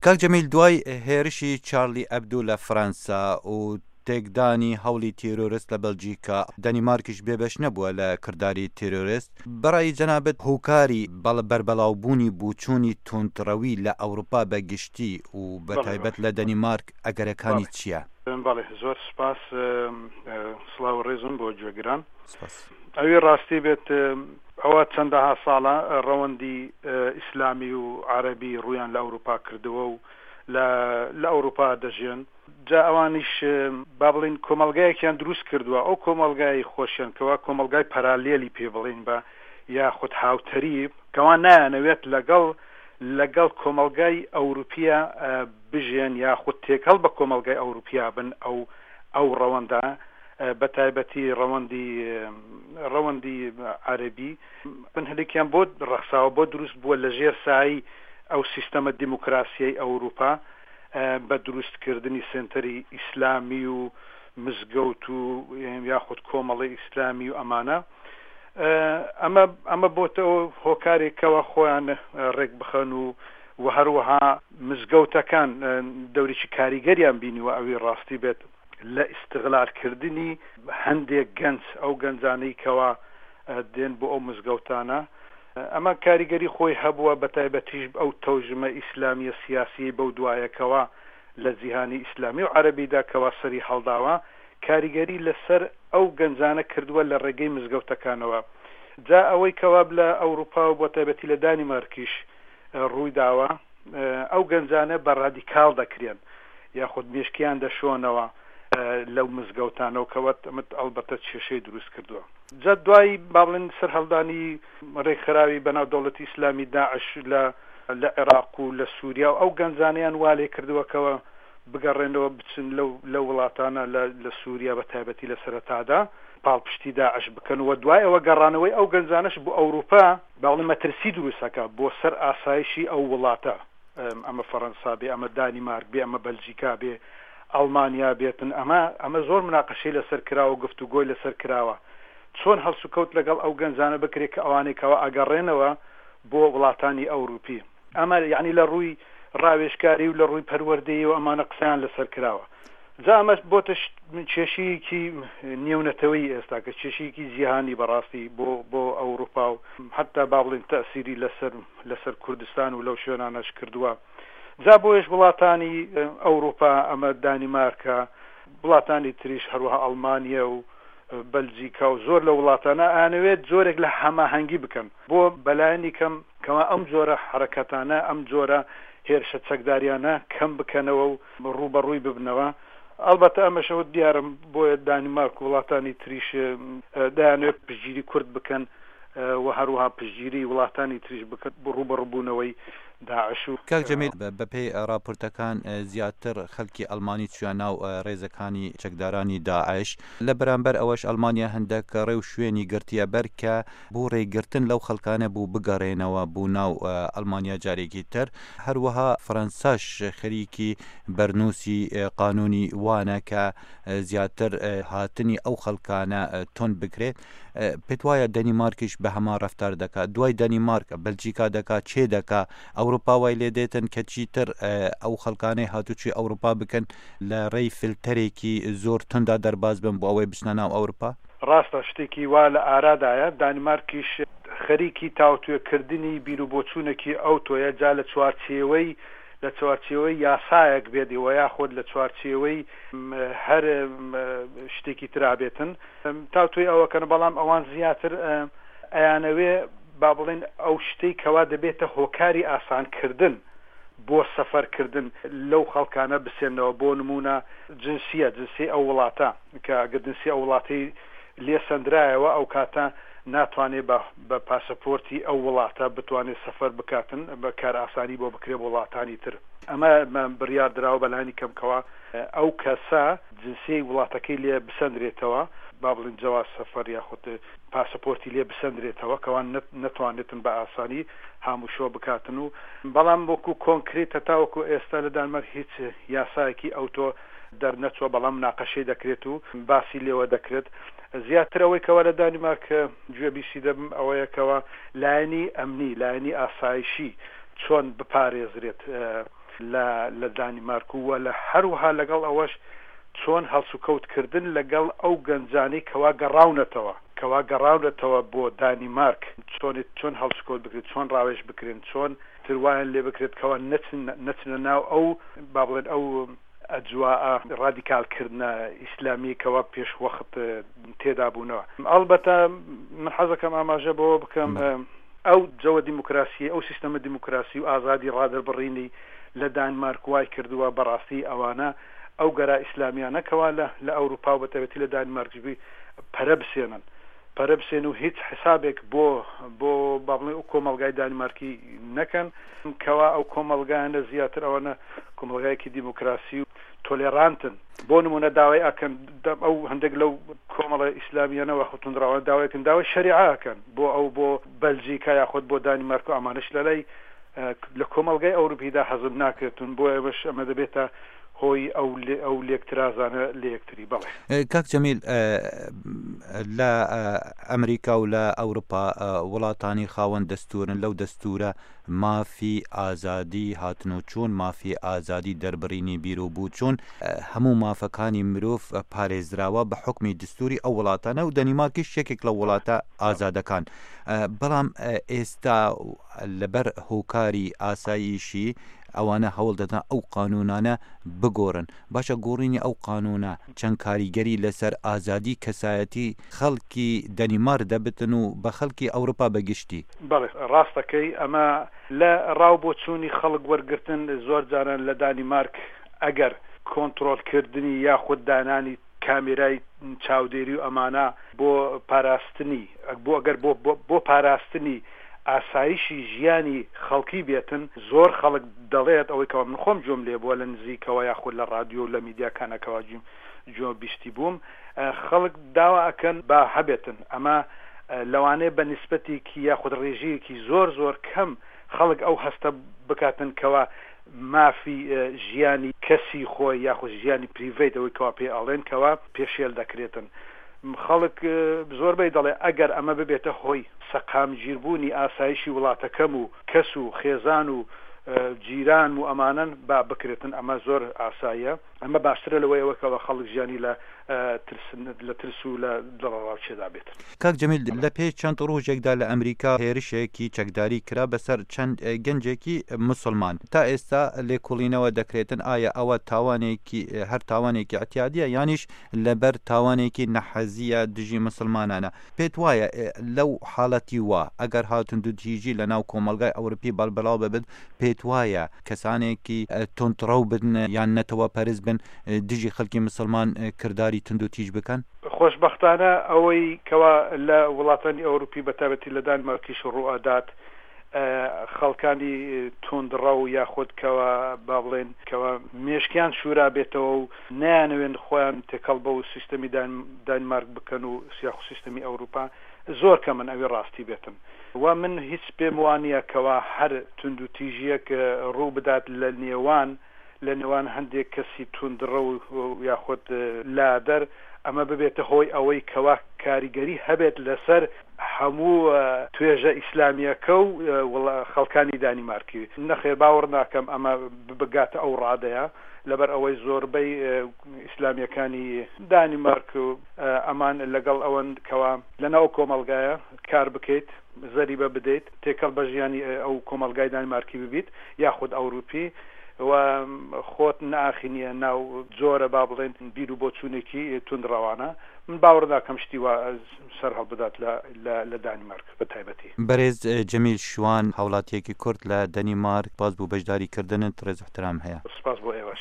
کاک جەمیل دوای هێرشی چارلی ئەبدو لە فەرەنسا و تێکدانی هەوڵی تیرۆرست لە بەلجیکا، دەنیمارکیش بێبەش نەبووە لە کرداری تیرۆرست، بەڕای جەنابت هۆکاری بەربەڵاوبوونی بوچوونی توندڕەوی لە ئەوروپا بە گشتی و بە تایبەت لە دەنیمارک ئەگەرەکانی چییە؟ بەڵێ زۆر سوپاس، سڵاو و ڕێزم بۆ گوێگران. ئەوی ڕاستی بێت ئەوە چەندەها ساڵە ڕەوەندی ئیسلامی و عەرەبی ڕوویان لە ئەوروپا کردووە و لە لە ئەوروپا دەژێن، جا ئەوانیش با بڵێین کۆمەڵگایەکیان دروست کردووە، ئەو کۆمەڵگای خۆشیان کەوا کۆمەڵگای پەرالێلی پێ بڵێین بە یاخود هاوتەریب، کەوا نایانەوێت لەگەڵ لەگەڵ کۆمەڵگای ئەوروپیە بژێن یاخود تێکەڵ بە کۆمەڵگای ئەوروپیا بن ئەو ئەو ڕەوەندە بە تایبەتی ڕەوەندی ڕەوەندی عەرەبی بن هەندێکیان بۆ ڕەخساوە بۆ دروست بووە لە ژێر سایەی ئەو سیستەمە دیموکراسیەی ئەوروپا بە دروست کردنی سێنتەری ئیسلامی و مزگەوت و یاخود کۆمەڵی ئیسلامی و ئەمانە ئەمە ئەمە بۆتە هۆکارێک کەوا خۆیان ڕێک بخەن و و هەروەها مزگەوتەکان دەورێکی کاریگەریان بینیوە ئەوی ڕاستی بێت لە ئیستغلال کردنی هەندێک گەنج، ئەو گەنجانەی کەوا دێن بۆ ئەو مزگەوتانە، ئەمە کاریگەری خۆی هەبووە، بەتایبەتیش ئەو تەوژمە ئیسلامیە سیاسیەی بەو دوایە کەوا لە جیهانی ئیسلامی و عەرەبیدا کەوا سەری هەڵداوە، کاریگەری لەسەر ئەو گەنجانە کردووە لە ڕێگەی مزگەوتەکانەوە. جا ئەوەی کەوا لە ئەوروپا و بەتایبەتی لە دانیمارکیش ڕووی داوە، ئەو گەنجانە بە ڕادیکاڵ دەکرێن یاخود مێشکیان دەشۆنەوە لەو مزگەوتانەوە کە وەت ئەمە ئەڵبەتە کێشەی دروست کردووە. جا دوای با بڵێن سەرهەڵدانی ڕێکخراوی بەناو دەوڵەتی ئیسلامی داعش لە لە عێراق و لە سووریا و ئەو گەنجانەیان وا لێ کردووە کەوە بگەڕێنەوە بچن لەو لەو وڵاتانە لە لە سووریا بە تایبەتی لە سەرەتادا پاڵپشتی داعش بکەن و دوای ئەوە گەڕانەوەی ئەو گەنجانەش بۆ ئەوروپا باڵی مەترسی دروست ئەکا بۆ سەر ئاسایشی ئەو وڵاتە، ئەمە فەرەنسا بێ، ئەمە دانیمارک بێ، ئەمە بەلجیکا بێ، ئەڵمانیا بێتن، ئەمە ئەمە زۆر مناقەشەی لەسەر کراوە و گفتوگۆی لەسەر کراوە، چۆن هەڵسوکەوت لەگەڵ ئەو گەنجانە بکرێ کە ئەوانەی کەوا ئەگەڕێنەوە بۆ وڵاتانی ئەوروپی. ئەمە یەعنی لە ڕووی ڕاوێژکاری و لە ڕووی پەروەردەیی و ئەمانە قسەیان لەسەر کراوە. جا ئەمەش بۆتە کێشەیەکی نێونەتەوەیی ئێستا کە کێشەیەکی جیهانی بەڕاستی بۆ بۆ ئەوروپا و حتا با بڵێین تەئسیری لەسەر لەسەر کوردستان و لەو شوێنانەش کردووە. جا بۆیەش وڵاتانی ئەوروپا ئەمە دانیمارکە وڵاتانی تریش هەروەها ئەڵمانیە و بەلجیکا و زۆر لە وڵاتانە ئەیانەوێت جۆرێک لە هەماهەنگی بکەن بۆ بەلایەنی کەم کەوا ئەم جۆرە حەرەکەتانە ئەم جۆرە هێرشە چەکداریانە کەم بکەنەوە و ڕووبەڕووی ببنەوە ئەڵبەتە ئەمەشەوە دیارم بۆیە دانیمارک و وڵاتانی تریش دەیانەوێت پشتگیری کورد بکەن و هەروەها پشتگیری وڵاتانی تریش بکەن بۆ ڕووبەڕووبوونەوەی داعش و. کاک جەمیل بەپێی ڕاپۆرتەکان زیاتر خەلکی ئەلمانی چویە ناو ڕێزەکانی چەکدارانی داعش، لە بەرامبەر ئەوەش ئەلمانیا هەندەک ڕێ و شوێنی گرتیە بەر کە بۆ ڕێگرتن لەو خەلکانە بوو بگەڕێنەوە بو ناو ئەلمانیا جارێکی تر، هەروەها فەرەنساش خەریکی بەرنوسی قانونی وانە کە زیاتر هاتنی ئەو خەلکانە توند بکرێت. پێت وایە دەنیمارکیش بە هەمان ڕەفتار دەکات؟ دوای دەنیمارک بەلجیکا دەکات، چێ دەکا، ئەوروپا وای لێ دێتن کە چیتر ئەو خەڵکانەی هاتوچۆی ئەوروپا بکەن لە ڕێی فلتەرێکی زۆر توندا دەرباز بن بۆ ئەوەی بچنە ناو ئەوروپا؟ ڕاستە شتێکی وا لە ئارادایە، دانیمارکیش خەریکی تاوتوێ کردنی بیروبۆچوونێکی ئەوتۆیە، جا لە چوارچێوەی لە چوارچێوەی یاسایەک بێت وەیاخود لە چوارچێوەی هەر شتێکی ترا بێتن، تاوتوێی ئەوە کەن، بەڵام ئەوان زیاتر ئەیانەوێ با بڵێین ئەو شتەی کەوا دەبێتە هۆکاری ئاسانکردن بۆ سەفەرکردن لەو خەڵکانە بسێننەوە، بۆ نموونە جنسیە، جنسیەی ئەو وڵاتە، کە ئەگەر جنسیەی ئەو وڵاتەی لێ سەندرایەوە ئەو کاتە ناتوانێ بە بە پاسەپۆرتی ئەو وڵاتە بتوانێ سەفەر بکاتن، بە کارئاسانی بۆ بکرێ بۆ وڵاتانی تر. ئەمە بڕیار دراوە بەلانی کەم کەوا ئەو کەسە جنسیەی وڵاتەکەی لێ بسەندرێتەوە، با بڵێین جەواز سەفەر یاخود پاسەپۆرتی لێ بسەندرێتەوە کەوا نەتوانێتن بە ئاسانی هاموشۆ بکاتن و بەڵام وەکو کۆنکرێت هەتاوەکو ئێستا لە دانمارک هیچ یاسایەکی ئەوتۆ دەرنەچووە بەڵام مناقەشەی دەکرێت و باسی لێوە دەکرێت زیاتر ئەوەی کەوا لە دانیمارک گوێبیستی دەبم ئەوەیە کەوا لایەنی ئەمنی لایەنی ئاسایشی چۆن بپارێزرێت. لە لە دانیمارک و لە هەروەها لەگەڵ ئەوەش چۆن هەڵسوکەوت کردن لەگەڵ ئەو گەنجانەی کەوا گەڕاونەتەوە کەوا گەڕاونەتەوە بۆ دانیمارک چۆن چۆن هەڵسوکەوت بکرێت چۆن ڕاوێژ بکرێن چۆن تر وایان لێ بکرێت کەوا نەچن نەچنە ناو ئەو با بڵێن ئەو ئەجواء ڕادیکال کردنە ئیسلامیەی کەوا پێش وەخت تێدا بوونەوە. ئەڵبەتە من حەزەکەم ئاماژە بەوە بکەم ئەو جەوە دیموکراسیەی ئەو سیستەمە دیموکراسی و ئازادی ڕادەربڕینی لە دانمارک وای کردووە بەڕاستی ئەوانە ئەو گەرا ئیسلامیانە کەوا لە لە ئەوروپا و بەتایبەتی لە دانیمارکیش بی پەرە بسێنن پەرە بسێن و هیچ حسابێک بۆ بۆ با بڵێن ئەو کۆمەڵگای دانیمارکی نەکەن کەوا ئەو کۆمەڵگایانە زیاتر ئەوانە کۆمەڵگایەکی دیموکراسی و تۆلێرانتن بۆ نمونە داوای ئەکەن ئەو هەندێک لەو کۆمەڵە ئیسلامیانە وە توندڕەوانە داوایکن داوای شەریعە ئەکەن بۆ ئەو بۆ بەلجیکا یاخود بۆ دانیمارک و ئەمانەش لەلای لە کۆمەڵگای ئەوروپیدا هەزم ناکرێتن بۆ ئێمەش ئەمە دەبێتە هۆی ئەو ئەو لێکترازانە لە یەکتری بەڵێ. کاک جەمیل لە ئەمریکا و لە ئەوروپا وڵاتانی خاوەن دەستورن لەو دەستورە مافی ئازادی هاتن و چوون، مافی ئازادی دەربڕینی بیر و بوچوون، هەموو مافەکانی مرۆڤ پارێزراوە بە حوکمی دستوری ئەو وڵاتانە و دەنیمارکیش یەکێک لە وڵاتە ئازادەکان. بەڵام ئێستا لەبەر هۆکاری ئاسایشی ئەوانە هەوڵ دەدەن ئەو قانونانە بگۆڕن. باشە گۆڕینی ئەو قانونە چەند کاریگەری لەسەر ئازادی کەسایەتی خەڵکی دەنیمارک دەبتن و بە خەڵکی ئەوروپا بە گشتی؟ بەڵێ ڕاست دەکەی ئەمە لە ڕاو بۆچوونی خەڵک وەرگرتن زۆر جاران لە دانیمارک ئەگەر کۆنتڕۆل کردنی یاخود دانانی کامێرای چاودێری و ئەمانە بۆ پاراستنی بۆ ئەگەر بۆ بۆ پاراستنی ئاسایشی ژیانی خەڵکی بێتن زۆر خەڵک دەڵێت ئەوەی کەوا من خۆم گوێم لێ بووە لە نزیکەوە یاخود لە ڕادیۆ و لە میدیاکانە کەوا گوێم گوێ بیستی بووم خەڵک داوا ئەکەن با هەبێتن ئەمە لەوانەیە بە نیسبەتێکی یاخود ڕێژەیەکی زۆر زۆر کەم خەڵک ئەو هەستە بکاتن کەوا مافی ژیانی کەسی خۆی یاخود ژیانی پریڤەیت ئەوەی کەوا پێی ئەڵێن کەوا پێشێل دەکرێتن خەڵک زۆربەی دەڵێ ئەگەر ئەمە ببێتە هۆی سەقامگیربوونی ئاسایشی وڵاتەکەم و کەس و خێزان و جیرانم و ئەمانەن با بکرێتن ئەمە زۆر ئاساییە. ئەمە باشترە لەوەی ئەوە کەوا خەڵک ژیانی لە ترس لە ترس و لە دڵەڕاوکێدا بێت. کاک جەمیل لە پێش چەند ڕۆژێکدا لە ئەمریکا هێرشێکی چەکداری کرا بەسەر چەند گەنجێکی موسڵمان تا ئێستا لێکوڵینەوە دەکرێتن ئایا ئەوە تاوانێکی هەر تاوانێکی ئیعتیادیە یانیش لەبەر تاوانێکی نەحەزیە دژی موسڵمانانە پێت وایە لەو حاڵەتی وا ئەگەر ها توندوتیژی لە ناو کۆمەڵگای ئەوروپی بەڵبڵاو ببن پێت وایە کەسانێکی توندڕەو بن یان نەتەوە پەرست بن دژی خەلکی مسڵمان کرداری توندوتیژ بکەن؟ خۆشبەختانە ئەوەی کەوا لە وڵاتانی ئەوروپی بەتایبەتی لە دانمارکیش ڕووئەدات خەڵکانی توندڕەو یاخود کەوا با بڵێین کەوا مێشکیان شورابێتەوە و نەیانەوێن خۆیان تێکەڵ بەو سیستەمی دانمارک بکەن و یاخود سیستەمی ئەوروپا زۆر کەمن ئەوی ڕاستی بێتن. وە من هیچ پێم وانیە کەوا هەر توندوتیژیەک ڕوو بدات لە نێوان لە نێوان هەندێک کەسی توندڕەو یاخود لادەر ئەمە ببێتە هۆی ئەوەی کەوا کاریگەری هەبێت لەسەر هەموو توێژە ئیسلامیەکە و خەڵکانی دانیمارکی. نەخێر باوەڕ ناکەم ئەمە بگاتە ئەو ڕادەیە لەبەر ئەوەی زۆربەی ئیسلامیەکانی دانیمارک و ئەمان لەگەڵ ئەوەن کەوا لەناو کۆمەڵگایە کار بکەیت، زەریبە بدەیت، تێکەڵ بە ژیانی ئەو کۆمەڵگای دانیمارکی ببیت یاخود ئەوروپی و خۆت نەئاخینیە ناو جۆرە با بڵێین بیر و بۆچوونێکی توندڕەوانە. من باوەڕ ناکەم شتی وا سەر هەڵبدات لە لە دانیمارک بە تایبەتی. بەرێز جەمیل شوان هاوڵاتیەکی کورد لە دەنیمارک سپاس بۆ بەشداری کردنت ڕێز و احترام هەیە. سپاس بۆ ئێوەش.